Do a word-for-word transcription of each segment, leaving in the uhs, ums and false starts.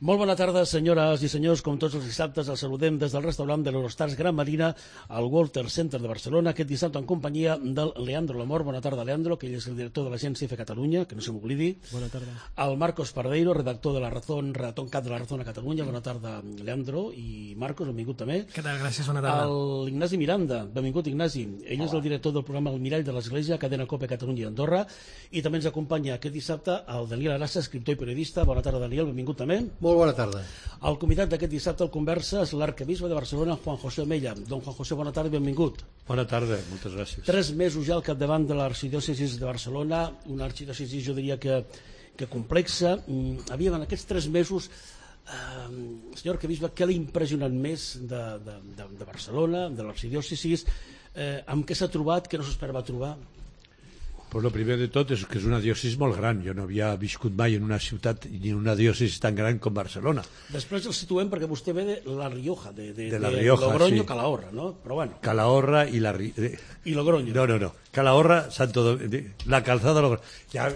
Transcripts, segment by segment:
Molt bona tarda, senyores i senyors. Com tots els dissabtes, els saludem des del restaurant de l'Eurostars Gran Marina al Walter Center de Barcelona, aquest dissabte en companyia del Leandro Lamor. Bona tarda, Leandro, que ell és el director de l'agència F Catalunya, que no se m'oblidi. Bona tarda. El Marcos Pardeiro, redactor de la Razón, redactor en cap de la Razón a Catalunya. Bona tarda, Leandro. I Marcos, benvingut també. Què tal? Gràcies, bona tarda. El Ignasi Miranda, benvingut, Ignasi. Ell Hola. És el director del programa El Mirall de l'Església, Cadena Cope Catalunya i Andorra. I també ens acompanya aquest dissabte el Daniel Arassa, escriptor i periodista. Bona tarda, Daniel, benvingut també. Molt bona tarda. El convidat d'aquest dissabte al Conversa és l'arquebisbe de Barcelona, Juan José Omella. Don Juan José, bona tarda i benvingut. Bona tarda, moltes gràcies. Tres mesos ja al capdavant de l'arxidiòcesi de Barcelona, una arxidiòcesi, jo diria que, que complexa. Aviam, en aquests tres mesos, eh, senyor arquebisbe, què l'ha impressionat més de, de, de, de Barcelona, de l'arxidiòcesi, eh, amb què s'ha trobat, que no s'esperava trobar? Pues lo primer de tot és que és una diòcesi molt gran. Jo no havia viscut mai en una ciutat ni en una diòcesi tan gran com Barcelona. Després el situem perquè vostè ve de La Rioja, de, de, de, la Rioja, de Logroño, sí. Calahorra, no? Però bueno. Calahorra i la... I Logroño. No, no, no. Calahorra, Santo Domingo, la calzada Logroño. Ja,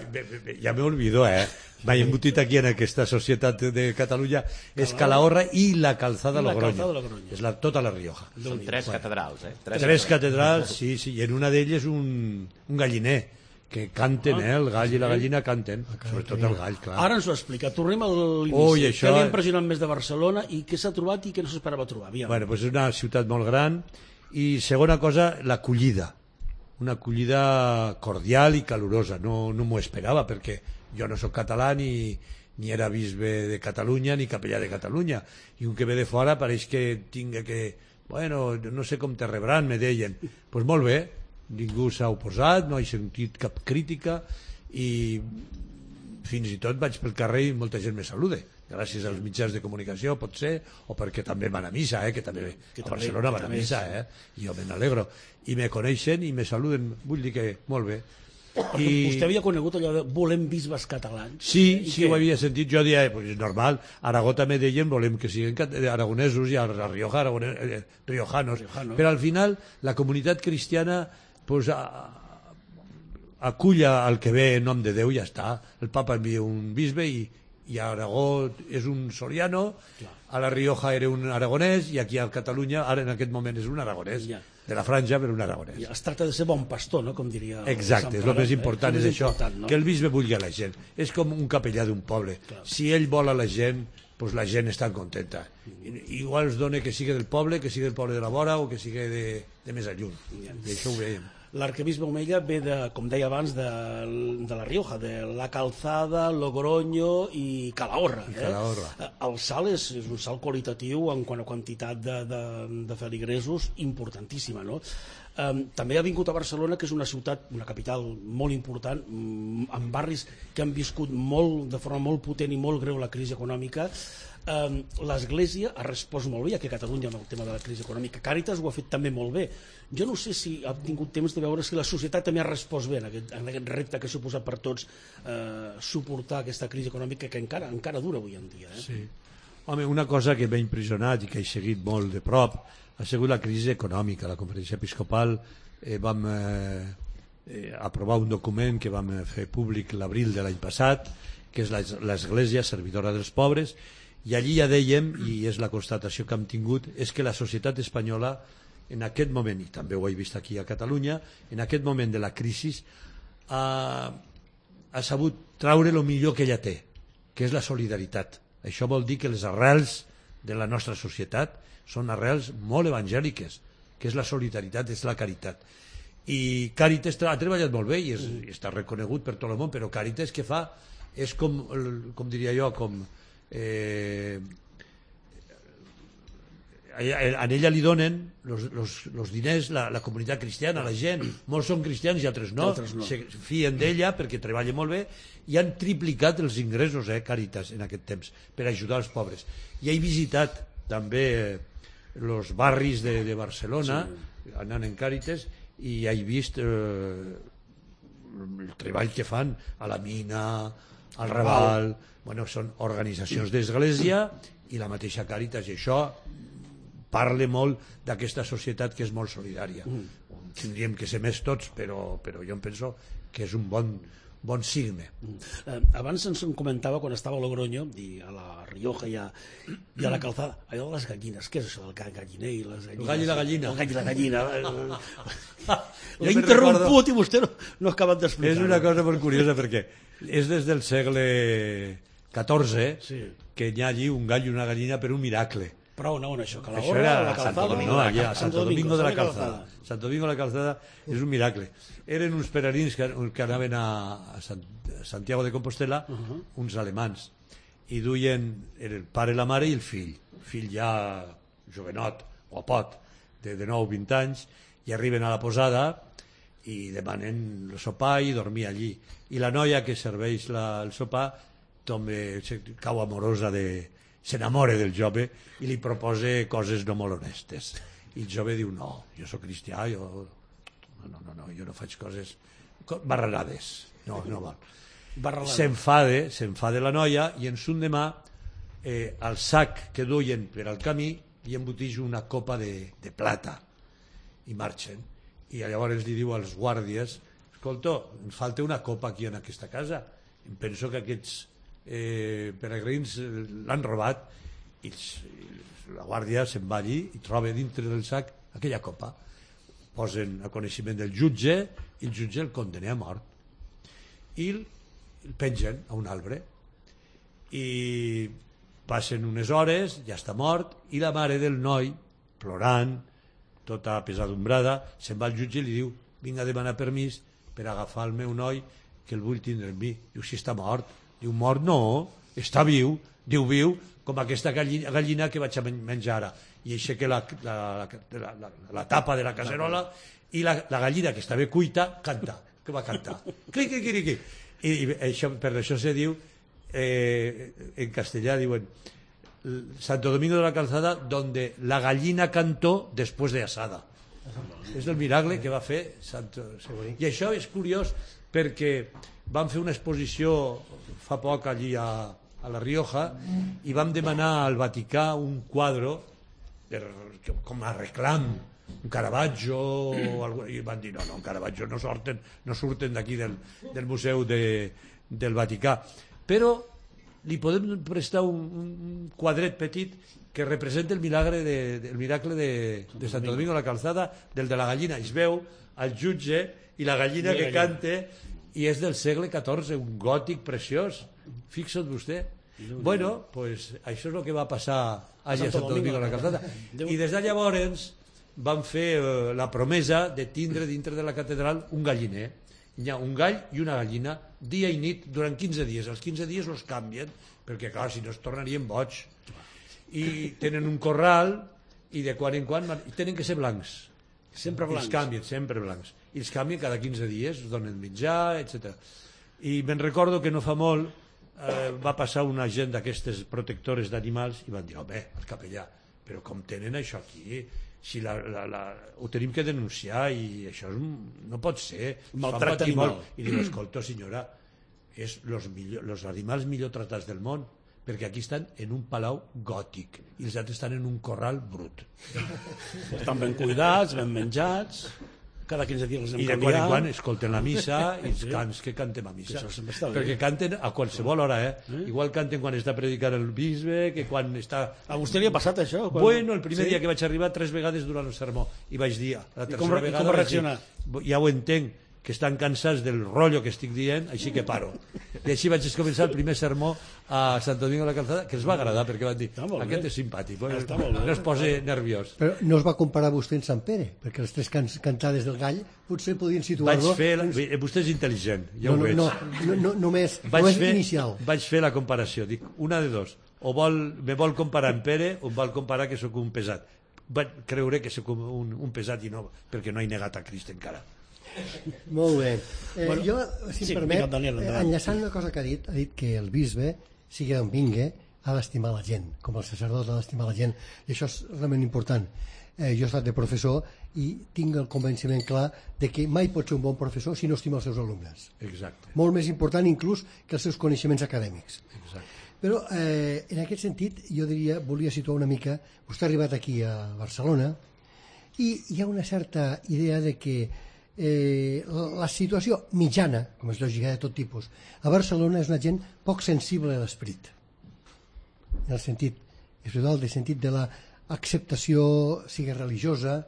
ja me olvidó, eh? M'he embotit aquí en aquesta societat de Catalunya. És Calahorra i la calzada I la Logroño. calzada Logroño. És la, tota la Rioja. Són tres bueno, catedrals, eh? Tres, tres catedrals, sí, sí. I en una d'elles un, un galliner. Que canten, eh? El gall i la gallina canten, sobretot el gall, clar. Ara ens ho explica, tornem a l'inici. Ui, això... Què li ha impressionat més de Barcelona i què s'ha trobat i què no s'esperava trobar? Aviam. Bueno, pues és una ciutat molt gran i segona cosa, l'acollida. Una acollida cordial i calorosa. No, no m'ho esperava perquè jo no sóc català ni, ni era bisbe de Catalunya ni capellà de Catalunya. I un que ve de fora pareix que tinga que... Bueno, no sé com te rebran, me deien. Doncs pues molt bé. Ningú s'ha oposat, no he sentit cap crítica i fins i tot vaig pel carrer i molta gent me saluda gràcies als mitjans de comunicació, pot ser, o perquè també van a missa, eh, que també que a també, Barcelona van a missa, eh, i jo me n'alegro i me coneixen i me saluden, vull dir que molt bé. I... Vostè havia conegut allò de volem bisbes catalans? Sí, sí, ho havia sentit. Jo deia, pues, normal, Aragó també deien volem que siguin aragonesos i a la Rioja, aragones, eh, riojanos, Riojano. Però al final la comunitat cristiana pues, a, aculla el que ve en nom de Déu i ja està. El papa envia un bisbe i, i a Aragó és un soriano, clar. A la Rioja era un aragonès i aquí a Catalunya ara en aquest moment és un aragonès, ja. De la franja però un aragonès. Ja, es tracta de ser bon pastor, no? Com diria exacte, és el més important, eh? És, és això, no? Que el bisbe vulgui a la gent. És com un capellà d'un poble. Clar. Si ell vol a la gent, pues la gent està contenta. Igual es dona que sigui del poble, que sigui del poble de la vora o que sigui de, de més alluny. I això ho veiem. L'arquebisbe Omella ve, de, com deia abans, de, de la Rioja, de la Calzada, Logroño i Calahorra. I Calahorra. Eh? El salt és, és un salt qualitatiu en quant a quantitat de, de, de feligresos importantíssima, no? Um, també ha vingut a Barcelona, que és una ciutat, una capital molt important, amb barris que han viscut molt, de forma molt potent i molt greu la crisi econòmica. Um, l'Església ha respost molt bé, ja que a Catalunya amb el tema de la crisi econòmica. Càritas ho ha fet també molt bé. Jo no sé si ha tingut temps de veure si la societat també ha respost bé en aquest, en aquest repte que ha suposat per tots eh, suportar aquesta crisi econòmica que encara encara dura avui en dia. Eh? Sí. Home, una cosa que m'ha impressionat i que he seguit molt de prop ha sigut la crisi econòmica. La Conferència Episcopal eh, vam eh, eh, aprovar un document que vam fer públic l'abril de l'any passat, que és l'Església servidora dels pobres, i allí ja dèiem, i és la constatació que hem tingut, és que la societat espanyola en aquest moment, i també ho he vist aquí a Catalunya, en aquest moment de la crisi ha, ha sabut traure el millor que ella té, que és la solidaritat. Això vol dir que les arrels de la nostra societat són arrels molt evangèliques, que és la solidaritat, és la caritat. I Càritas ha treballat molt bé i, és, i està reconegut per tot el món, però Càritas que fa és com, com diria jo, com eh, a ella li donen los, los, los diners la, la comunitat cristiana, la gent, molts són cristians i altres no, altres no. Se fien d'ella perquè treballa molt bé i han triplicat els ingressos, eh, Càritas, en aquest temps per ajudar els pobres. I he visitat també els barris de, de Barcelona, sí. Anant en Càritas, i he vist eh, el treball que fan a la Mina, al Raval, bueno, són organitzacions d'església i la mateixa Càritas, i això parla molt d'aquesta societat que és molt solidària. Mm. Tindríem que ser més tots, però, però jo em penso que és un bon, bon signe. Eh, abans ens en comentava quan estava a Logroño i a la Rioja i a, i a la Calzada, allò de les gallines, què és això del galliner i les gallines? El gall i la gallina. El gall i la gallina. Jo L'he me'n interromput recordo- i vostè no, no ha acabat d'explicar. És una cosa molt curiosa perquè és des del segle catorze Sí. que hi ha allí un gall i una gallina per un miracle. Però on, on això? Que la Això Gorra, era la a Santo Calzada? Domingo, allà, a Santo Domingo de la Santo Calzada. Santo Domingo de la Calzada és un miracle. Eren uns peregrins que, que anaven a, a, Sant, a Santiago de Compostela, uh -huh. uns alemans, i duien era el pare, la mare i el fill. El fill ja jovenot, guapot, de, de nou vint anys, i arriben a la posada i demanen el sopar i dormir allí. I la noia que serveix la, el sopar també cau amorosa de s'enamora del jove i li proposa coses no molt honestes. I el jove diu, no, jo sóc cristià, jo no, no, no, jo no faig coses barrerades, no, no val. S'enfada, s'enfada la noia i en son demà eh, al sac que duien per al camí hi embotix una copa de, de plata i marxen. I llavors li diu als guàrdies, escolta, em falta una copa aquí en aquesta casa, em penso que aquests eh, peregrins l'han robat, i la guàrdia se'n va allí i troba dintre del sac aquella copa. Posen a coneixement del jutge i el jutge el condena a mort i el pengen a un arbre i passen unes hores, ja està mort, i la mare del noi, plorant, tota pesadumbrada, se'n va al jutge i li diu, vinc a demanar permís per agafar el meu noi que el vull tindre amb mi. Diu, si està mort. Diu, mort no, està viu. Diu, viu, com aquesta gallina, gallina que vaig a menjar ara. I aixeca la, la, la, la, la tapa de la cacerola i la, la gallina que estava cuita canta, que va cantar. Clic, clic, clic, clic. I, i això, per això se diu, eh, en castellà diuen, Santo Domingo de la Calzada, donde la gallina cantó después de asada. És el miracle que va fer Santo... I això és curiós perquè vam fer una exposició fa poc allí a, a la Rioja i vam demanar al Vaticà un quadre per, com a reclam, un Caravaggio o algo, i van dir no, no, un Caravaggio no surten, no surten d'aquí del, del museu de, del Vaticà, però li podem prestar un, un quadret petit que representa el milagre de, de, el miracle de, de Santo Domingo de la Calzada, del de la gallina. Es veu al jutge i la gallina que canta, i és del segle catorze, un gòtic preciós. Fixa't vostè. Bueno, pues això és el que va passar a Santo Domingo de la Calzada. I des de llavors van fer eh, la promesa de tindre dintre de la catedral un galliner. Hi ha un gall i una gallina dia i nit durant quinze dies. Els quinze dies els canvien perquè clar, si no es tornarien boig. I tenen un corral i de quan en quan i tenen que ser blancs. Sempre blancs. I els canvien, sempre blancs. I els canvien cada quinze dies, es donen menjar, etcètera. I me'n recordo que no fa molt eh, va passar una gent d'aquestes protectores d'animals i van dir, home, el capellà, però com tenen això aquí? Si la, la, la, ho tenim que denunciar i això és, no pot ser, maltracte animal. I diu, escolta senyora, és los, millor, los animals millor tratats del món, perquè aquí estan en un palau gòtic i els altres estan en un corral brut. Estan ben cuidats, ben menjats, cada quinze dies els hem i de canviat. quan en quan escolten la missa i els cants que cantem a missa, perquè canten a qualsevol hora, eh? eh? Igual canten quan està predicant el bisbe que quan està... A vostè li ha passat això? Quan... Bueno, el primer sí? dia que vaig arribar tres vegades durant el sermó i vaig dir, la tercera com, vegada com reaccionar? Dir, ja ho entenc, que estan cansats del rotllo que estic dient, així que paro. I així vaig començar el primer sermó a Santo Domingo de la Calzada, que els va agradar, perquè van dir, aquest és simpàtic, bueno, no es posa nerviós. Però no es va comparar vostè en Sant Pere, perquè les tres can cantades del gall potser podien situar-lo... Vaig fer... La... Vostè és intel·ligent, ja no, ho veig. No, no, no, només, vaig només fer, inicial. Vaig fer la comparació, dic, una de dos, o vol, me vol comparar amb Pere o em vol comparar que sóc un pesat. Vaig creure que sóc un, un pesat i no, perquè no he negat a Crist encara. Molt bé. Eh, bueno, jo, si sí, em permet, Daniel, eh, enllaçant una cosa que ha dit, ha dit que el bisbe, sigui d'on vingui, ha d'estimar la gent, com el sacerdot ha d'estimar la gent, i això és realment important. Eh, jo he estat de professor i tinc el convenciment clar de que mai pot ser un bon professor si no estima els seus alumnes. Exacte. Molt més important inclús que els seus coneixements acadèmics. Exacte. Però eh, en aquest sentit jo diria, volia situar una mica, vostè ha arribat aquí a Barcelona i hi ha una certa idea de que eh, la situació mitjana, com és lògica de tot tipus, a Barcelona és una gent poc sensible a l'esperit, en el sentit espiritual, en el sentit de l'acceptació, sigui religiosa,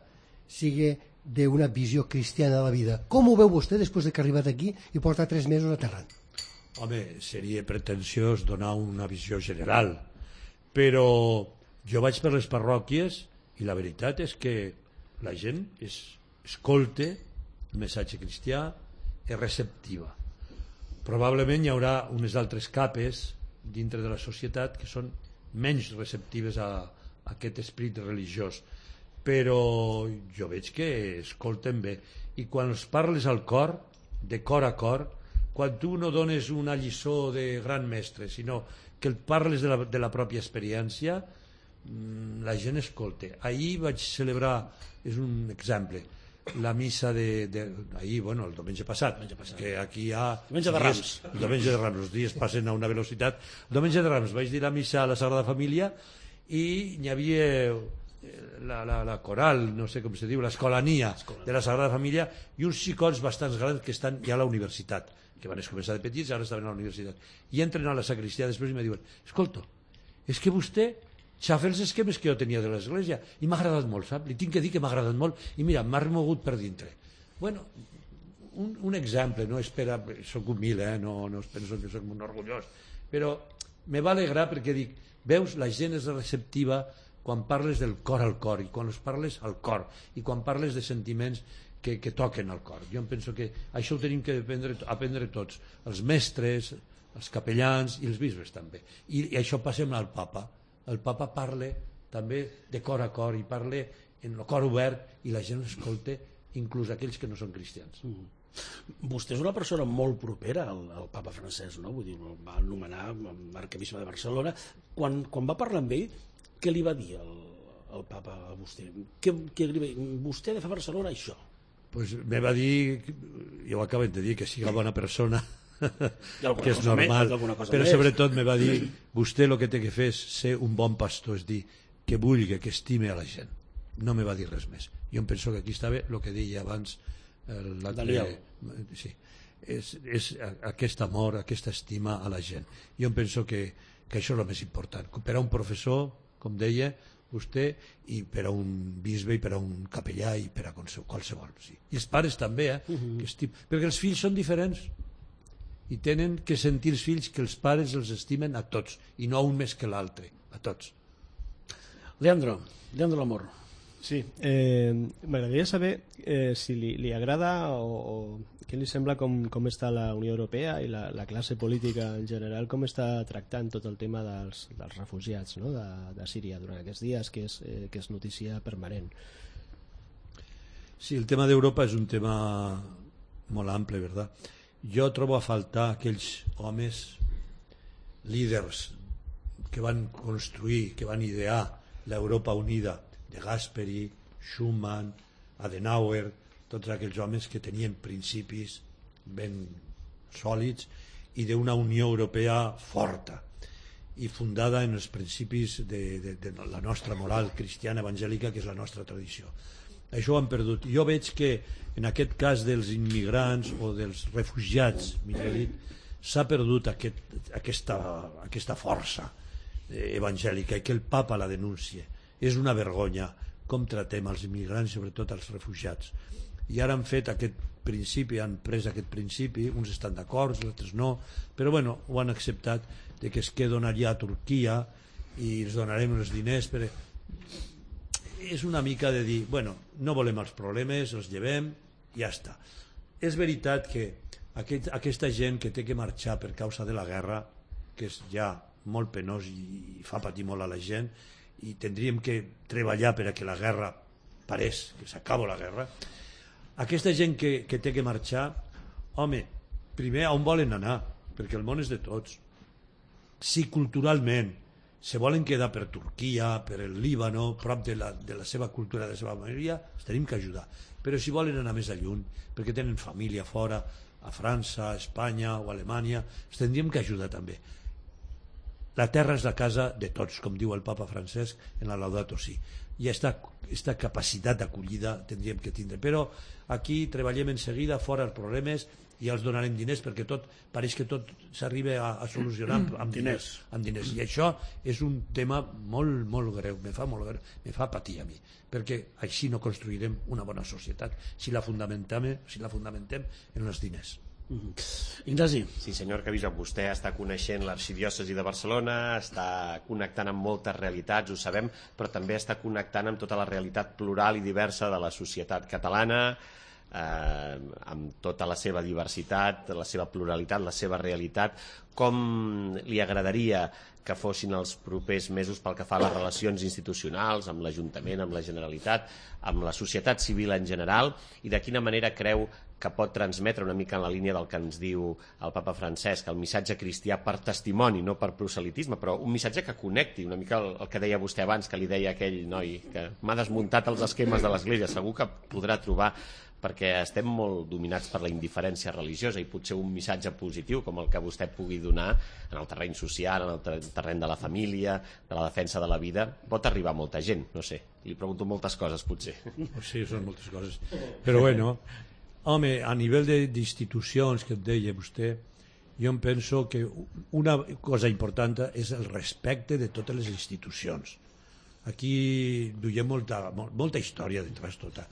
sigui d'una visió cristiana de la vida. Com ho veu vostè després que ha arribat aquí i porta tres mesos aterrant? Home, seria pretensiós donar una visió general, però jo vaig per les parròquies i la veritat és que la gent es, escolta el missatge cristià, és receptiva. Probablement hi haurà unes altres capes dintre de la societat que són menys receptives a, a aquest esperit religiós, però jo veig que escolten bé, i quan els parles al cor, de cor a cor, quan tu no dones una lliçó de gran mestre, sinó que el parles de la, de la pròpia experiència, la gent escolta. Ahir vaig celebrar, és un exemple, la missa de, de ahir, bueno, el diumenge passat, passat. Que aquí hi ha diumenge de Rams, el diumenge de Rams, els dies passen a una velocitat. El diumenge de Rams vaig dir la missa a la Sagrada Família i hi havia la, la, la coral, no sé com se diu, l'escolania de la Sagrada Família i uns xicots bastants grans que estan ja a la universitat, que van començar de petits i ara estaven a la universitat, i entren a la sacristia després i me diuen, escolta, és que vostè xafa els esquemes que jo tenia de l'església i m'ha agradat molt, sap? Li tinc que dir que m'ha agradat molt i mira, m'ha remogut per dintre. Bueno, un, un exemple, no espera, soc humil, eh? no, no es penso que soc un orgullós, però me va alegrar perquè dic, veus, la gent és receptiva quan parles del cor al cor i quan els parles al cor i quan parles de sentiments que, que toquen al cor. Jo em penso que això ho tenim que aprendre, aprendre tots, els mestres, els capellans i els bisbes també. I, i això passa amb el papa. El papa parla també de cor a cor i parla en el cor obert i la gent escolta, inclús aquells que no són cristians. Mm. Vostè és una persona molt propera al, al papa francès, no? Vull dir, el va anomenar arquebisbe de Barcelona. Quan, quan va parlar amb ell, què li va dir el, el papa a vostè? Què, què li va dir? Vostè ha de fer a Barcelona això. Pues me va dir, jo ho acabo de dir, que sigui bona persona, que és normal, més, però més. sobretot me va dir, vostè el que té que fer és ser un bon pastor, és dir, que vulgui, que estime a la gent. No me va dir res més. Jo em penso que aquí estava el que deia abans Daniel. Sí, és, és aquest amor, aquesta estima a la gent. Jo em penso que, que això és el més important. Per a un professor, com deia vostè, i per a un bisbe i per a un capellà i per a qualsevol. Sí. I els pares també, eh? Uh-huh. que estim... perquè els fills són diferents i tenen que sentir els fills que els pares els estimen a tots i no a un més que l'altre, a tots. Leandro, Leandro Lamor. Sí, eh, m'agradaria saber eh, si li, li agrada o, o què li sembla com, com està la Unió Europea i la, la classe política en general, com està tractant tot el tema dels, dels refugiats, no? de, de Síria durant aquests dies, que és, eh, que és notícia permanent. Sí, el tema d'Europa és un tema molt ample, ¿verdad? Jo trobo a faltar aquells homes líders que van construir, que van idear l'Europa unida, de Gasperi, Schuman, Adenauer, tots aquells homes que tenien principis ben sòlids i d'una Unió Europea forta i fundada en els principis de, de, de la nostra moral cristiana evangèlica, que és la nostra tradició. Això ho han perdut. Jo veig que en aquest cas dels immigrants o dels refugiats, millor dit, s'ha perdut aquest, aquesta, aquesta força evangèlica i que el papa la denuncia. És una vergonya com tratem els immigrants, sobretot els refugiats. I ara han fet aquest principi, han pres aquest principi, uns estan d'acord, els altres no, però bueno, ho han acceptat, de que es queden allà a Turquia i els donarem els diners. Per... És una mica de dir, bueno, no volem els problemes, els llevem, ja està. És veritat que aquest, aquesta gent que té que marxar per causa de la guerra, que és ja molt penós i fa patir molt a la gent, i tindríem que treballar per a que la guerra parés, que s'acaba la guerra, aquesta gent que, que té que marxar, home, primer on volen anar? Perquè el món és de tots. Si culturalment se volen quedar per Turquia, per el Líbano, prop de la, de la seva cultura, de la seva majoria, els tenim que ajudar. Però si volen anar més a lluny, perquè tenen família fora, a França, a Espanya o a Alemanya, els tindríem que ajudar també. la terra és la casa de tots, com diu el papa Francesc en la Laudato Si, i aquesta capacitat d'acollida tindríem que tindre, però aquí treballem en seguida fora els problemes i els donarem diners, perquè tot pareix que tot s'arriba a, a solucionar amb, amb diners, amb diners, i això és un tema molt, molt greu, me fa molt greu, me fa patir a mi, perquè així no construirem una bona societat si la fundamentem, si la fundamentem en els diners. Mm-hmm. Ignasi. Sí, senyor Arquebisbe, vostè està coneixent l'arxidiòcesi de Barcelona, està connectant amb moltes realitats, ho sabem, però també està connectant amb tota la realitat plural i diversa de la societat catalana, eh, amb tota la seva diversitat, la seva pluralitat, la seva realitat. Com li agradaria que fossin els propers mesos pel que fa a les relacions institucionals amb l'Ajuntament, amb la Generalitat, amb la societat civil en general, i de quina manera creu que pot transmetre, una mica en la línia del que ens diu el papa Francesc, el missatge cristià per testimoni, no per proselitisme, però un missatge que connecti, una mica el, el que deia vostè abans, que li deia aquell noi que m'ha desmuntat els esquemes de l'Església, segur que podrà trobar, perquè estem molt dominats per la indiferència religiosa, i potser un missatge positiu com el que vostè pugui donar en el terreny social, en el terreny de la família, de la defensa de la vida, pot arribar a molta gent, no sé, li pregunto moltes coses potser. Sí, són moltes coses, però bueno, home, a nivell d'institucions que et deia vostè, jo em penso que una cosa important és el respecte de totes les institucions. Aquí duiem molta, molta història detrás tota,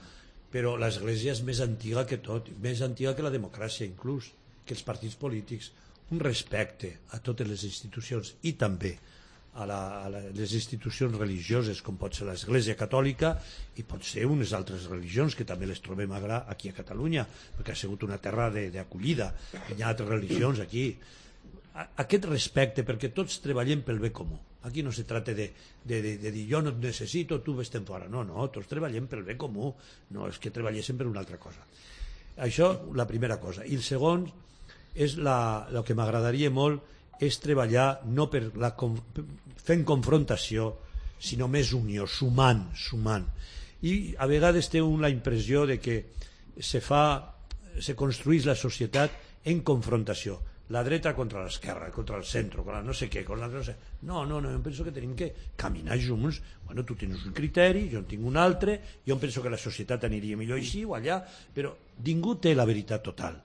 però l'Església és més antiga que tot, més antiga que la democràcia inclús, que els partits polítics. Un respecte a totes les institucions i també a, la, a la, les institucions religioses, com pot ser l'Església Catòlica i pot ser unes altres religions que també les trobem aquí a Catalunya, perquè ha sigut una terra d'acollida, hi ha altres religions aquí. Aquest respecte, perquè tots treballem pel bé comú. Aquí no se trata de, de, de, de dir jo no et necessito, tu vés-te'n fora. No, no, tots treballem pel bé comú, no és que treballéssim per una altra cosa. Això, la primera cosa. I el segon, és la, el que m'agradaria molt, és treballar no per la, fent confrontació, sinó més unió, sumant, sumant. I a vegades té una impressió de que se fa, se construís la societat en confrontació. La dreta contra l'esquerra, contra el centre, contra no sé què, contra no sé... No, no, no, jo penso que tenim que caminar junts. Bueno, tu tens un criteri, jo en tinc un altre, jo penso que la societat aniria millor així o allà, però ningú té la veritat total,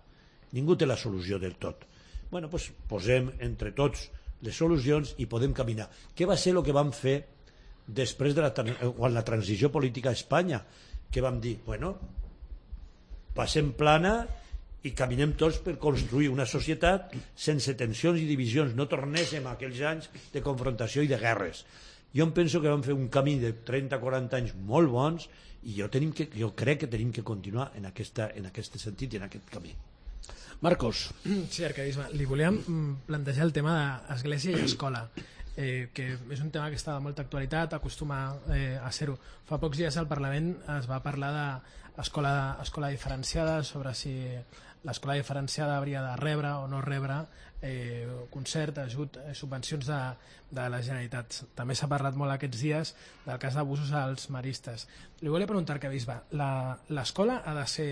ningú té la solució del tot. Bueno, doncs posem entre tots les solucions i podem caminar. Què va ser el que vam fer després de la, quan la transició política a Espanya? Que vam dir, bueno, passem plana i caminem tots per construir una societat sense tensions i divisions, no tornéssim a aquells anys de confrontació i de guerres. Jo em penso que vam fer un camí de trenta a quaranta anys molt bons i jo, tenim que, jo crec que tenim que continuar en, aquesta, en aquest sentit i en aquest camí. Marcos. Sí, arquebisbe, li volíem plantejar el tema d'església i escola, eh, que és un tema que està de molta actualitat, acostuma eh, a ser-ho. Fa pocs dies al Parlament es va parlar d'escola escola diferenciada, sobre si l'escola diferenciada hauria de rebre o no rebre eh, concert, ajut, eh, subvencions de, de la Generalitat. També s'ha parlat molt aquests dies del cas d'abusos als maristes. Li volia preguntar, arquebisbe, l'escola ha de ser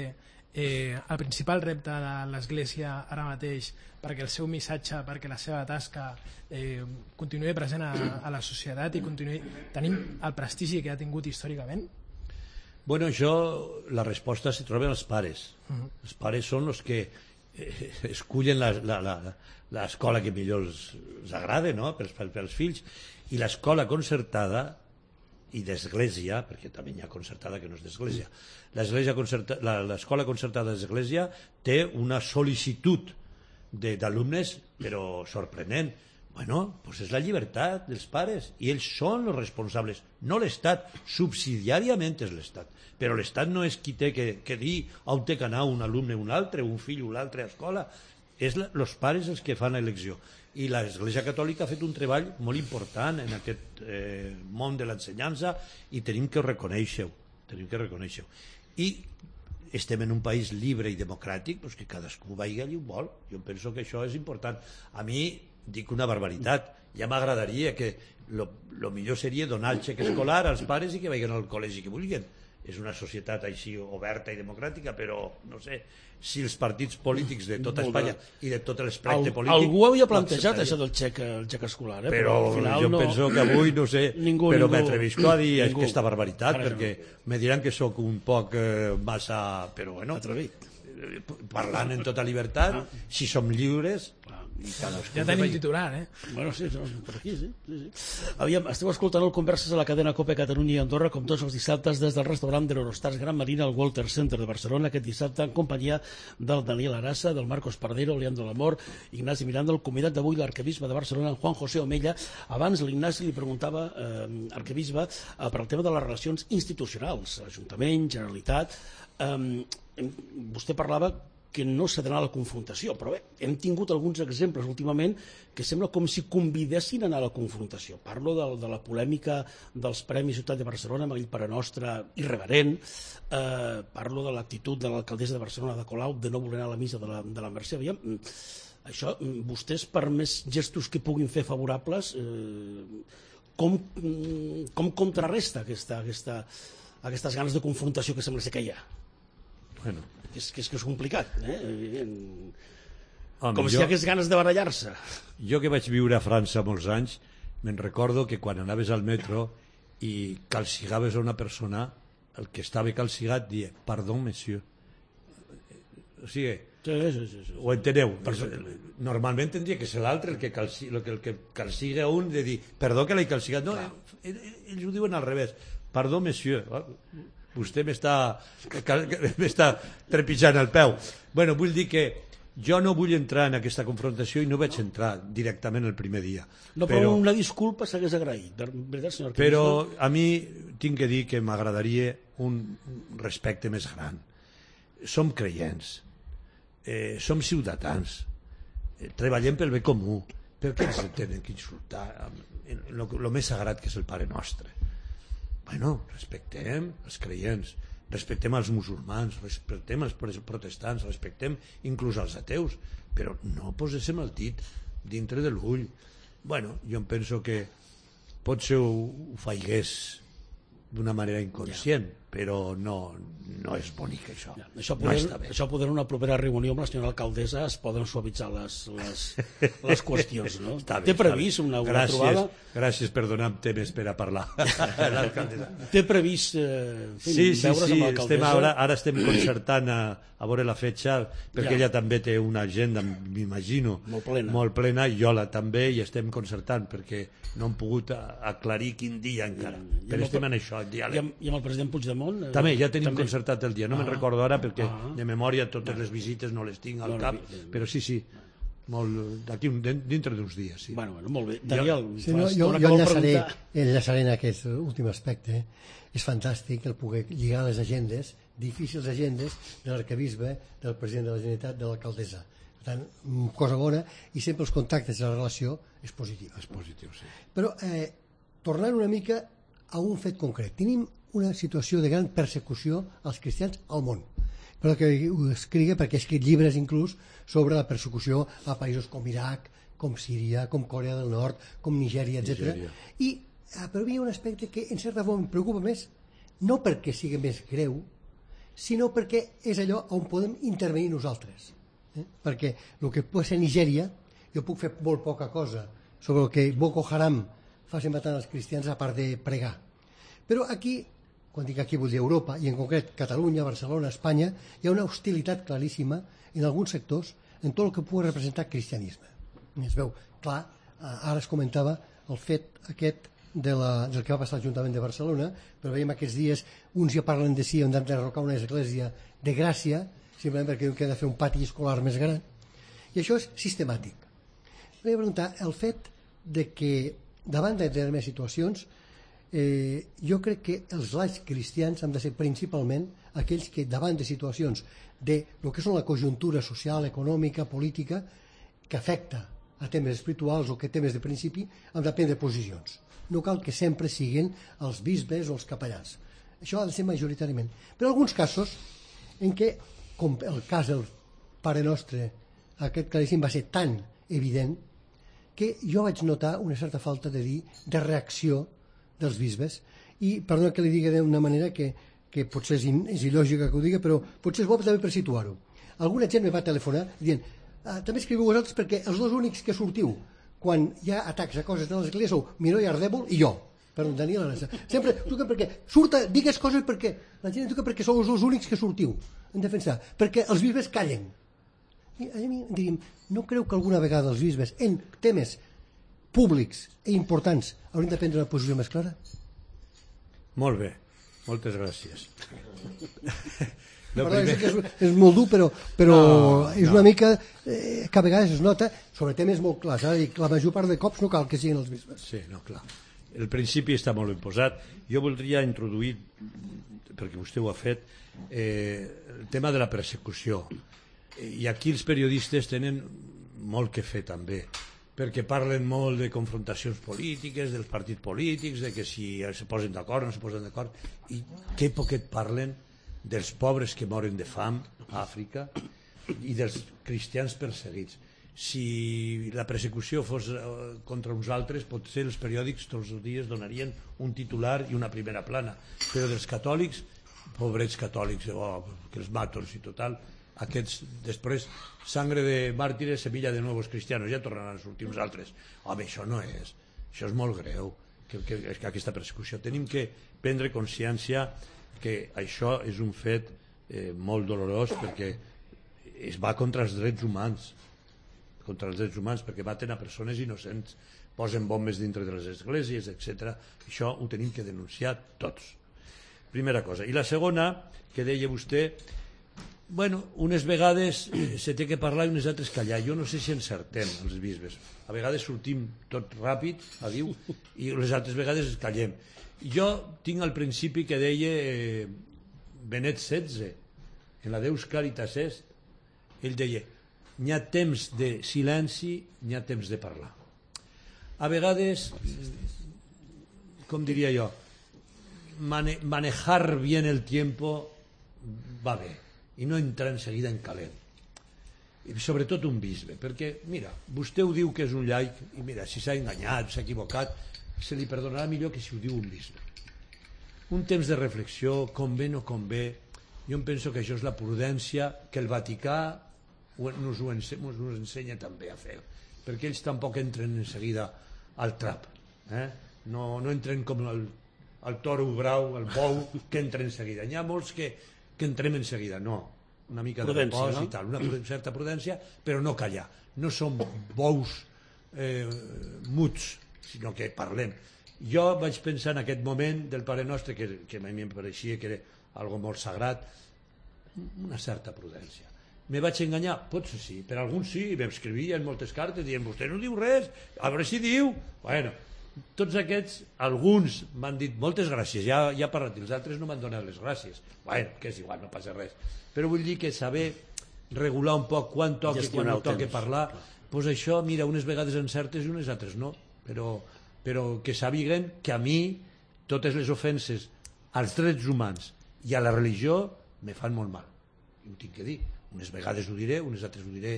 eh, el principal repte de l'Església ara mateix perquè el seu missatge, perquè la seva tasca eh, continuï present a, a la societat i continuï tenint el prestigi que ha tingut històricament? Bueno, això, la resposta se troba als pares. Uh-huh. Els pares són els que eh, escullen l'escola que millor els, els agrada, no?, pels, pels fills. I l'escola concertada i d'església, perquè també hi ha concertada que no és d'església, l'escola concertada d'església té una sol·licitud d'alumnes, però sorprenent. Bueno, doncs és la llibertat dels pares i ells són els responsables, no l'Estat, subsidiàriament és l'Estat, però l'Estat no és qui té que, que dir on té que anar un alumne o un altre, un fill o l'altre a escola, és els pares els que fan l'elecció. I l'Església Catòlica ha fet un treball molt important en aquest eh, món de l'ensenyança i tenim que reconèixer-ho, tenim que reconèixer-ho. I estem en un país llibre i democràtic, doncs que cadascú vagi allà on vol. Jo penso que això és important. A mi dic una barbaritat, ja m'agradaria que lo, lo millor seria donar el xec escolar als pares i que vagin al col·legi que vulguin. és una societat així oberta i democràtica, però no sé si els partits polítics de tota Espanya i de tot l'espectre polític... Algú havia plantejat això del xec, el xec escolar, eh? però, però al final jo no... penso que avui, no sé, ningú, però ningú, m'atrevisco a dir ningú. aquesta barbaritat, Ara perquè no. me diran que sóc un poc eh, massa... però bueno, Atrevit. parlant en tota llibertat, si som lliures... I ja tenim titular, eh? Bueno, sí, no, per aquí, sí. sí, sí. Aviam, esteu escoltant el Converses a la cadena COPE Catalunya i Andorra, com tots els dissabtes, des del restaurant de l'Eurostars Gran Marina al Walter Center de Barcelona, aquest dissabte en companyia del Daniel Arassa, del Marcos Pardero, Leandro Lamor, Ignasi Miranda, el convidat d'avui, l'arquebisbe de Barcelona, Juan José Omella. Abans l'Ignasi li preguntava, eh, arquebisbe, eh, per al tema de les relacions institucionals, Ajuntament, Generalitat. Eh, vostè parlava que no s'ha d'anar a la confrontació, però bé, hem tingut alguns exemples últimament que sembla com si convidessin a anar a la confrontació. Parlo de, de la polèmica dels Premis Ciutat de Barcelona amb el Pare Nostre irreverent, eh, parlo de l'actitud de l'alcaldessa de Barcelona de Colau de no voler anar a la missa de la, de la Mercè. Aviam, això, vostès, per més gestos que puguin fer favorables, eh, com, com contrarresta aquesta, aquesta, aquestes ganes de confrontació que sembla ser que hi ha? Bueno, que és, que és, que és complicat, eh? Home, com si jo, hi hagués ganes de barallar-se. Jo que vaig viure a França molts anys, me'n recordo que quan anaves al metro i calcigaves a una persona, el que estava calcigat dia, perdó, monsieur. O sigui, sí, sí, sí, sí. ho enteneu? Normalment tindria que ser l'altre el que, calci, el que, el que calciga a un de dir, perdó que l'he calcigat. No, ells ho diuen al revés. Perdó, monsieur. Vostè m'està m'està trepitjant el peu. Bueno, vull dir que jo no vull entrar en aquesta confrontació i no vaig entrar directament el primer dia. No, però, però una disculpa s'hagués agraït, veritat, senyor arquebisbe? Però a mi tinc que dir que m'agradaria un respecte més gran. Som creients, eh, som ciutadans, eh, treballem pel bé comú. Per què ens tenen que insultar el més sagrat que és el Pare Nostre? Bueno, respectem els creients, respectem els musulmans, respectem els protestants, respectem inclús els ateus, però no poséssim el dit dintre de l'ull. Bueno, jo em penso que potser ho, ho faigués d'una manera inconscient, ja. Però no, no és bonic això. Ja. Això poder, no està bé. Això poder una propera reunió amb la senyora alcaldessa es poden suavitzar les, les, les qüestions, no? Bé, té previst una, una gràcies, trobada? Gràcies per donar temes per a parlar. Té previst eh, fi, sí, sí, veure's sí, amb l'alcaldessa? Estem ara, ara estem concertant a, a veure la fetge, perquè ja. Ella també té una agenda, m'imagino, molt plena. molt plena, i jo la també, i estem concertant, perquè no hem pogut aclarir quin dia encara. I, però estem en això, en diàleg. I amb, i amb el president Puigdemont? Eh, també, ja tenim també. concertat el dia, no ah. me'n recordo ara perquè ah. de memòria totes no. les visites no les tinc al no, cap, no, no. però sí, sí, d'aquí dintre d'uns dies. Sí. Bueno, bueno, molt bé. Daniel, sí, no, jo, jo enllaçaré, enllaçaré en aquest últim aspecte. És fantàstic el poder lligar les agendes, difícils agendes, de l'arquebisbe, del president de la Generalitat, de l'alcaldessa. Per tant, cosa bona, i sempre els contactes i la relació és positiva. És positiu, sí. Però, eh, tornant una mica a un fet concret, tenim una situació de gran persecució als cristians al món. Però que ho escrigui, perquè he escrit llibres inclús sobre la persecució a països com Iraq, com Síria, com Corea del Nord, com Nigèria, etcètera. I eh, però hi ha un aspecte que en certa forma em preocupa més, no perquè sigui més greu, sinó perquè és allò on podem intervenir nosaltres. Eh? Perquè el que pot ser Nigèria, jo puc fer molt poca cosa sobre el que Boko Haram facin matant els cristians a part de pregar. Però aquí, quan dic aquí vull dir Europa, i en concret Catalunya, Barcelona, Espanya, hi ha una hostilitat claríssima en alguns sectors en tot el que pugui representar cristianisme. Es veu clar, ara es comentava el fet aquest de la, del que va passar al Ajuntament de Barcelona, però veiem aquests dies, uns ja parlen de si han d'enderrocar una església de Gràcia, simplement perquè han de fer un pati escolar més gran, i això és sistemàtic. Volia preguntar, el fet de que davant de determinades situacions, eh, jo crec que els laics cristians han de ser principalment aquells que davant de situacions de lo que són la conjuntura social, econòmica, política, que afecta a temes espirituals o que temes de principi, han de prendre posicions. No cal que sempre siguin els bisbes o els capellans. Això ha de ser majoritàriament. Però en alguns casos en què, com el cas del Pare Nostre, aquest claríssim va ser tan evident que jo vaig notar una certa falta de dir de reacció dels bisbes, i perdona que li digui d'una manera que que potser és, in, és il·lògica que ho digui, però potser és bo també per situar-ho. Alguna gent me va telefonar dient ah, també escriviu vosaltres perquè els dos únics que sortiu quan hi ha atacs a coses de l'església sou Miró i Ardèvol i jo. Perdó, Daniel Arassa. Sempre truquen perquè surta, digues coses perquè la gent truca perquè sou els dos únics que sortiu en defensar, perquè els bisbes callen. I a mi diríem, no creu que alguna vegada els bisbes en temes públics i importants haurien de prendre una posició més clara? Molt bé, moltes gràcies. Perdó, primer... que és, és molt dur, però, però no, és no. una mica eh, que a vegades es nota sobre temes molt clars. Eh? La major part de cops no cal que siguin els bisbes. Sí, no, clar. El principi està molt ben posat. Jo voldria introduir, perquè vostè ho ha fet, eh, el tema de la persecució. I aquí els periodistes tenen molt que fer també, perquè parlen molt de confrontacions polítiques, dels partits polítics, de que si se posen d'acord o no se posen d'acord, i que poquet parlen dels pobres que moren de fam a Àfrica i dels cristians perseguits. Si la persecució fos contra uns altres, potser els periòdics tots els dies donarien un titular i una primera plana, però dels catòlics, pobrets catòlics, oh, que els matos i total, aquests després, sangre de màrtires, semilla de nuevos cristianos, ja tornaran a sortir uns altres. Home, això no és, això és molt greu, que, que, que aquesta persecució. Tenim que prendre consciència que això és un fet eh, molt dolorós, perquè es va contra els drets humans, contra els drets humans, perquè maten a persones innocents, posen bombes dintre de les esglésies, etcètera. Això ho tenim que denunciar tots. Primera cosa. I la segona, que deia vostè, bueno, unes vegades se té que parlar i unes altres callar. Jo no sé si encertem, els bisbes. A vegades sortim tot ràpid, a diu, i les altres vegades callem. Jo tinc el principi que deia eh, Benet setze, en la Deus Caritas Est, ell deia, n'hi ha temps de silenci, n'hi ha temps de parlar. A vegades, com diria jo, mane manejar bien el tiempo va bé, i no entrar enseguida en calent. I sobretot un bisbe, perquè, mira, vostè ho diu que és un laic, i mira, si s'ha enganyat, s'ha equivocat, se li perdonarà millor que si ho diu un bisbe. Un temps de reflexió, convé o no convé, jo em penso que això és la prudència que el Vaticà nos ho ensenya també a fer, perquè ells tampoc entren en seguida al trap, eh? no, no entren com el, el toro brau, el bou, que entra en seguida. N'hi ha molts que, que entrem en seguida, no, una mica de repòs, no? I tal, una certa prudència, però no callar. No som bous eh, muts, sinó que parlem. Jo vaig pensar en aquest moment del Pare Nostre, que, que a mi em pareixia que era algo molt sagrat, una certa prudència. Me vaig enganyar? Potser sí, per alguns sí, m'escrivien moltes cartes dient, vostè no diu res, a veure si diu. Bueno, tots aquests, alguns m'han dit moltes gràcies, ja, ja he parlat, els altres no m'han donat les gràcies. Bueno, que és igual, no passa res. Però vull dir que saber regular un poc quan toca i quan no toca parlar, doncs això, mira, unes vegades encertes i unes altres no, però, però que sàpiguen que a mi totes les ofenses als drets humans i a la religió me fan molt mal, i ho tinc que dir. Unes vegades ho diré, unes altres ho diré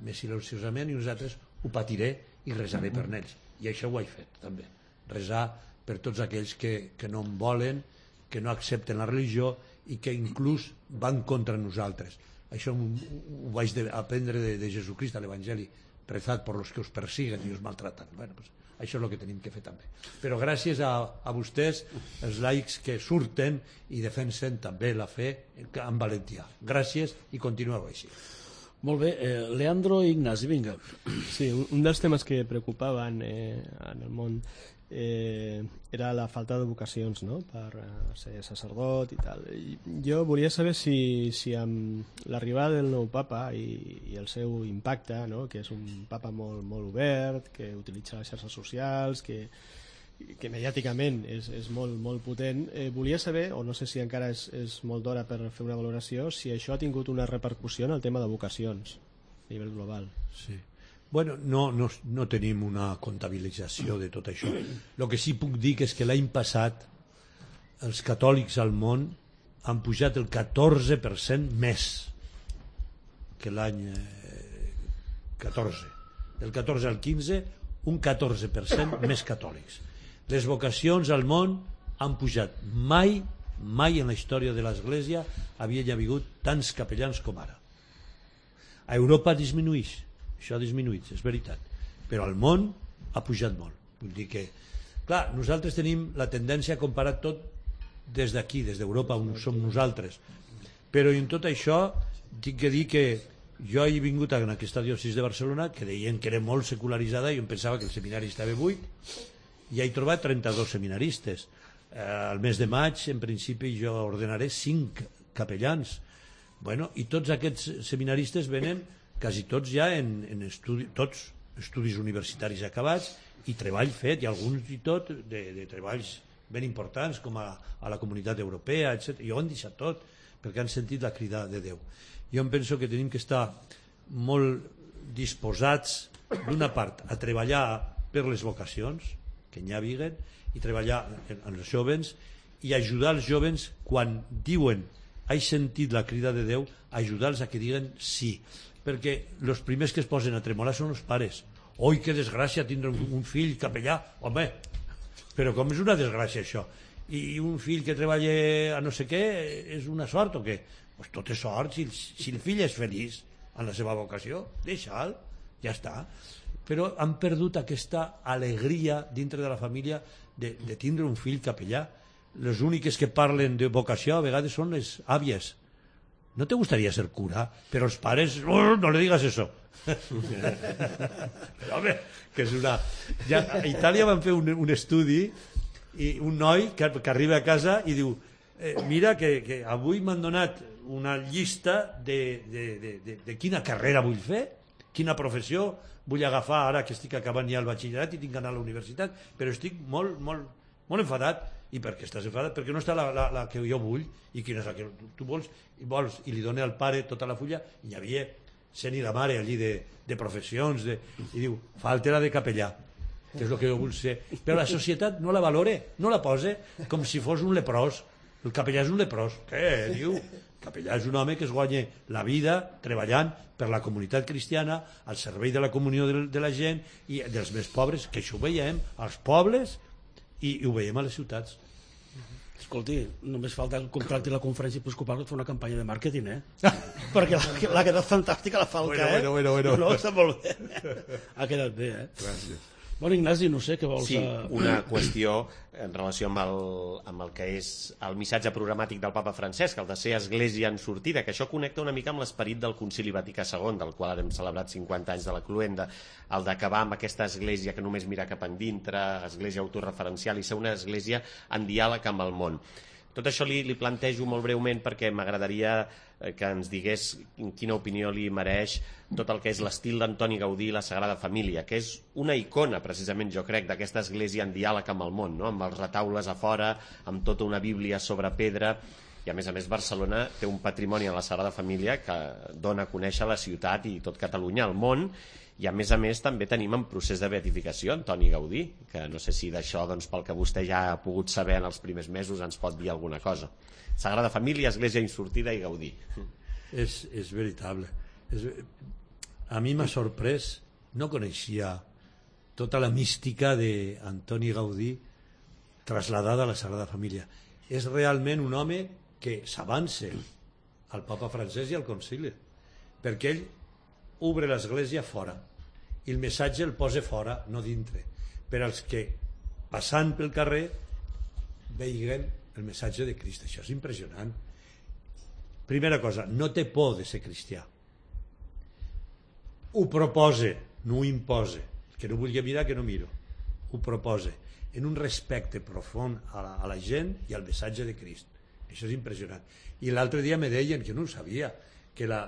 més silenciosament i unes altres ho patiré i resaré per ells, i això ho he fet també, resar per tots aquells que, que no en volen, que no accepten la religió i que inclús van contra nosaltres. Això ho, ho vaig de, aprendre de, de Jesucrist a l'Evangeli, rezad por los que os persiguen i us maltratan. Bueno, pues, això és el que tenim que fer també. Però gràcies a, a vostès, els laics que surten i defensen també la fe amb valentia. Gràcies i continueu així. Molt bé, eh, Leandro i Ignasi, vinga. Sí, un, un dels temes que preocupaven eh, en el món eh, era la falta de vocacions, no?, per eh, ser sacerdot i tal. I jo volia saber si, si amb l'arribada del nou papa i, i el seu impacte, no?, que és un papa molt, molt obert, que utilitza les xarxes socials, que, que mediàticament és, és molt, molt potent, eh, volia saber, o no sé si encara és, és molt d'hora per fer una valoració, si això ha tingut una repercussió en el tema de vocacions a nivell global. Sí. Bueno, no, no, no tenim una comptabilització de tot això. El que sí puc dir és que l'any passat els catòlics al món han pujat el catorze per cent més que l'any eh, catorze. Del catorze al quinze, un catorze per cent més catòlics. Les vocacions al món han pujat. Mai mai en la història de l'Església havia hagut tants capellans com ara. A Europa disminueix, això ha disminuït, és veritat, però al món ha pujat molt. Vull dir que, clar, nosaltres tenim la tendència a comparar tot des d'aquí, des d'Europa, on som nosaltres, però en tot això tinc que dir que jo he vingut en aquesta diòcesi de Barcelona, que deien que era molt secularitzada, i jo em pensava que el seminari estava buit, i he trobat trenta-dos seminaristes. Eh, al mes de maig, en principi, jo ordenaré cinc capellans. Bueno, i tots aquests seminaristes venen, quasi tots ja, en, en estudi, tots estudis universitaris acabats, i treball fet, i alguns i tot, de, de treballs ben importants, com a, a la comunitat europea, etcètera. I ho han deixat tot, perquè han sentit la crida de Déu. Jo em penso que tenim que estar molt disposats, d'una part, a treballar per les vocacions, que n'hi ha viguen, i treballar en, en els jovens, i ajudar els jovens quan diuen he sentit la crida de Déu, ajudar-los a que diguen sí, perquè els primers que es posen a tremolar són els pares. Oi, que desgràcia tindre un, un fill capellà, home, però com és una desgràcia això? I un fill que treballa a no sé què és una sort o què? Pues tot és sort, si, si el fill és feliç en la seva vocació, deixa'l, ja està. Però han perdut aquesta alegria dintre de la família de, de tindre un fill capellà. Les úniques que parlen de vocació a vegades són les àvies. No te gustaría ser cura, però els pares, oh, no le digas eso. Però, home, que és una... Ja, a Itàlia van fer un, un estudi i un noi que, que arriba a casa i diu eh, mira que, que avui m'han donat una llista de, de, de, de, de quina carrera vull fer, quina professió vull agafar ara que estic acabant ja el batxillerat i tinc d'anar a la universitat, però estic molt, molt, molt enfadat. I per què estàs enfadat? Perquè no està la, la, la que jo vull, i quina és la que tu vols, i vols, i li dona al pare tota la fulla, i hi havia sent i la mare allí de, de professions, de, i diu, falta la de capellà, que és el que jo vull ser. Però la societat no la valora, no la posa com si fos un leprós. El capellà és un leprós. Què diu? El capellà és un home que es guanya la vida treballant per la comunitat cristiana, al servei de la comunió de, de la gent i dels més pobres, que això ho veiem als pobles i, i ho veiem a les ciutats. Escolti, només falta el contracte i la conferència episcopal per fer una campanya de màrqueting, eh? Perquè la, la ha quedat fantàstica la falca, bueno, eh? Bueno, bueno, bueno. No, està molt bé. Ha quedat bé, eh? Gràcies. Bueno, Ignasi, no sé què vols... Sí, una qüestió en relació amb el, amb el que és el missatge programàtic del papa Francesc, el de ser església en sortida, que això connecta una mica amb l'esperit del Concili Vaticà segon, del qual hem celebrat cinquanta anys de la cluenda, el d'acabar amb aquesta església que només mira cap endintre, església autorreferencial, i ser una església en diàleg amb el món. Tot això li, li plantejo molt breument perquè m'agradaria que ens digués quina opinió li mereix tot el que és l'estil d'Antoni Gaudí i la Sagrada Família, que és una icona, precisament, jo crec, d'aquesta església en diàleg amb el món, no? Amb els retaules a fora, amb tota una bíblia sobre pedra, i a més a més Barcelona té un patrimoni en la Sagrada Família que dona a conèixer la ciutat i tot Catalunya al món, i a més a més també tenim en procés de beatificació Antoni Gaudí, que no sé si d'això, doncs, pel que vostè ja ha pogut saber en els primers mesos, ens pot dir alguna cosa. Sagrada Família, Església Insortida i Gaudí. És, és veritable. És, a mi m'ha sorprès, no coneixia tota la mística d'Antoni Gaudí trasladada a la Sagrada Família. És realment un home que s'avança al papa Francesc i al concili, perquè ell obre l'església fora i el missatge el posa fora, no dintre, per als que passant pel carrer veiguen el missatge de Crist. Això és impressionant. Primera cosa, no té por de ser cristià, ho proposa, no ho imposa. Que no vulgui mirar, que no miro, ho proposa en un respecte profund a la, a la gent i al missatge de Crist. Això és impressionant. I l'altre dia me deien, que no ho sabia, que la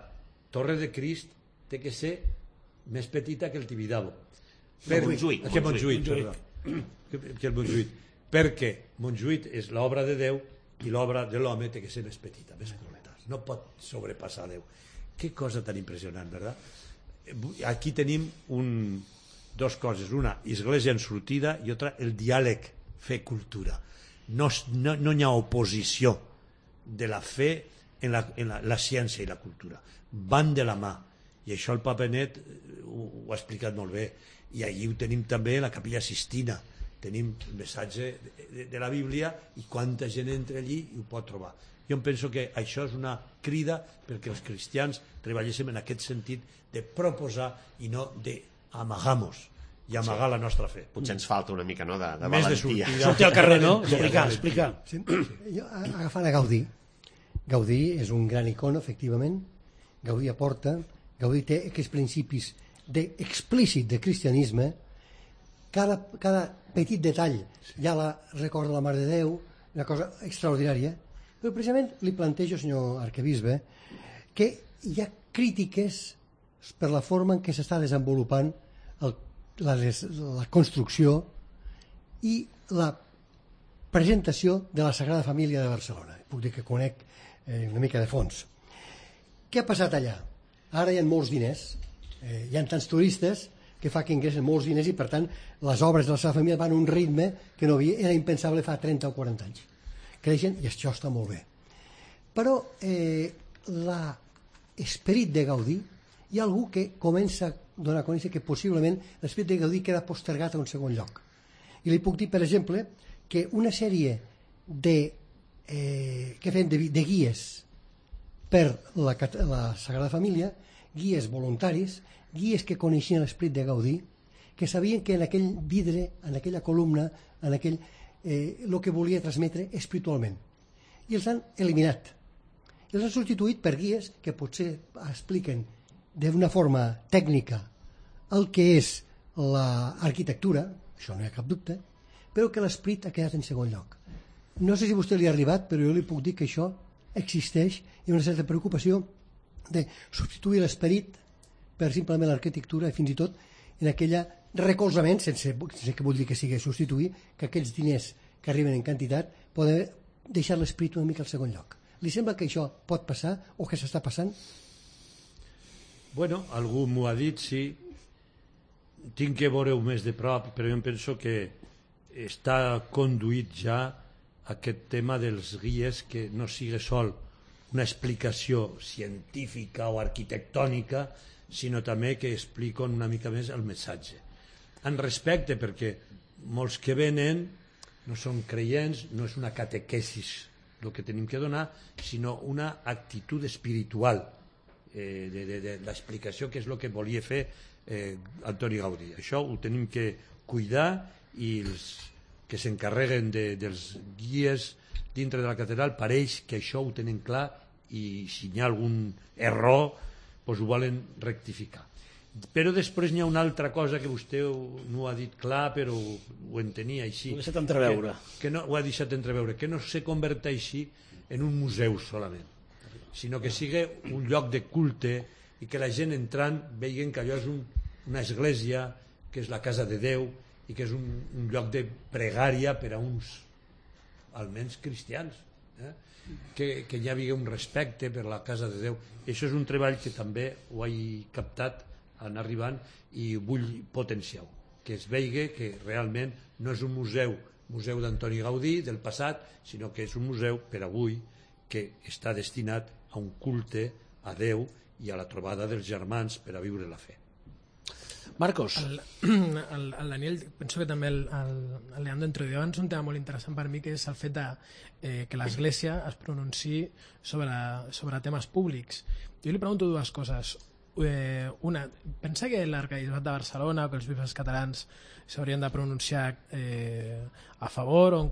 Torre de Crist té que ser més petita que el Tibidabo. Per... Montjuïc. Que Montjuïc, perdó. Que, que el Montjuïc. Perquè Montjuïc és l'obra de Déu i l'obra de l'home té que ser més petita, més curta. No pot sobrepassar Déu. Que cosa tan impressionant, verdad? Aquí tenim un, dos coses. Una, església en sortida, i otra, el diàleg fe cultura. No, no, no hi ha oposició de la fe en la, en la, la ciència i la cultura. Van de la mà. I això el Papa Net ho, ho ha explicat molt bé. I allí ho tenim també la Capella Sistina, tenim el missatge de, de, de la Bíblia i quanta gent entra allí i ho pot trobar. Jo em penso que això és una crida perquè els cristians treballéssim en aquest sentit de proposar i no d'amagar-nos i amagar sí. la nostra fe. Potser ens falta una mica, no?, de, de Més valentia. De sortir al carrer, no? Explicar, explicar. Sí, jo, agafant a Gaudí, Gaudí és un gran icono, efectivament. Gaudí aporta, Gaudí té aquests principis de, explícit de cristianisme. Cada, cada petit detall ja la recorda la Mare de Déu, una cosa extraordinària. Però precisament li plantejo, senyor arquebisbe, que hi ha crítiques per la forma en què s'està desenvolupant el, la, la construcció i la presentació de la Sagrada Família de Barcelona. Puc dir que conec eh, una mica de fons. Què ha passat allà? Ara hi ha molts diners, eh, hi ha tants turistes que fa que ingressen molts diners i per tant les obres de la Sagrada Família van a un ritme que no havia, era impensable fa trenta o quaranta anys. Creixen i això està molt bé. Però eh, l'esperit de Gaudí, hi ha algú que comença a donar a conèixer que possiblement l'esperit de Gaudí queda postergat a un segon lloc. I li puc dir, per exemple, que una sèrie de, eh, que fem de, de guies per la, la Sagrada Família, guies voluntaris, guies que coneixien l'esperit de Gaudí, que sabien que en aquell vidre, en aquella columna, en aquell... Eh, el que volia transmetre espiritualment, i els han eliminat, i els han substituït per guies que potser expliquen d'una forma tècnica el que és l'arquitectura, això no hi ha cap dubte, però que l'esperit ha quedat en segon lloc. No sé si a vostè li ha arribat, però jo li puc dir que això existeix i una certa preocupació de substituir l'esperit per simplement l'arquitectura i fins i tot en aquella recolzament, sense, sense que vull dir que sigui substituir, que aquests diners que arriben en quantitat poden deixar l'esperit una mica al segon lloc. Li sembla que això pot passar o que s'està passant? Bueno, algú m'ho ha dit, sí. Tinc que veure-ho més de prop, però jo em penso que està conduït ja aquest tema dels guies, que no sigui sol una explicació científica o arquitectònica, sinó també que expliquen una mica més el missatge. En respecte, perquè molts que venen no són creients, no és una catequesis el que tenim que donar, sinó una actitud espiritual eh, de, de, de l'explicació, que és el que volia fer eh, Antoni Gaudí. Això ho tenim que cuidar i els que s'encarreguen de, dels guies dintre de la catedral pareix que això ho tenen clar i si hi ha algun error doncs ho volen rectificar. Però després n'hi ha una altra cosa que vostè no ho ha dit clar, però ho entenia així. Ho ha deixat entreveure. Que, que no, ho ha deixat entreveure, que no se converteixi en un museu solament, sinó que sigui un lloc de culte i que la gent entrant vegin que allò és un, una església, que és la casa de Déu i que és un, un lloc de pregària per a uns, almenys cristians, eh? que, que hi havia un respecte per la casa de Déu. I això és un treball que també ho he captat en arribant i vull potenciar-ho, que es vegi que realment no és un museu museu d'Antoni Gaudí del passat, sinó que és un museu per avui que està destinat a un culte a Déu i a la trobada dels germans per a viure la fe. Marcos. El, el, el Daniel, penso que també el, el, el Leandro introduïu abans un tema molt interessant per mi, que és el fet de, eh, que l'Església es pronunciï sobre, sobre temes públics. Jo li pregunto dues coses. Eh, una, pensa que l'arquebisbat de Barcelona o que els bisbes catalans s'haurien de pronunciar eh, a favor o en contra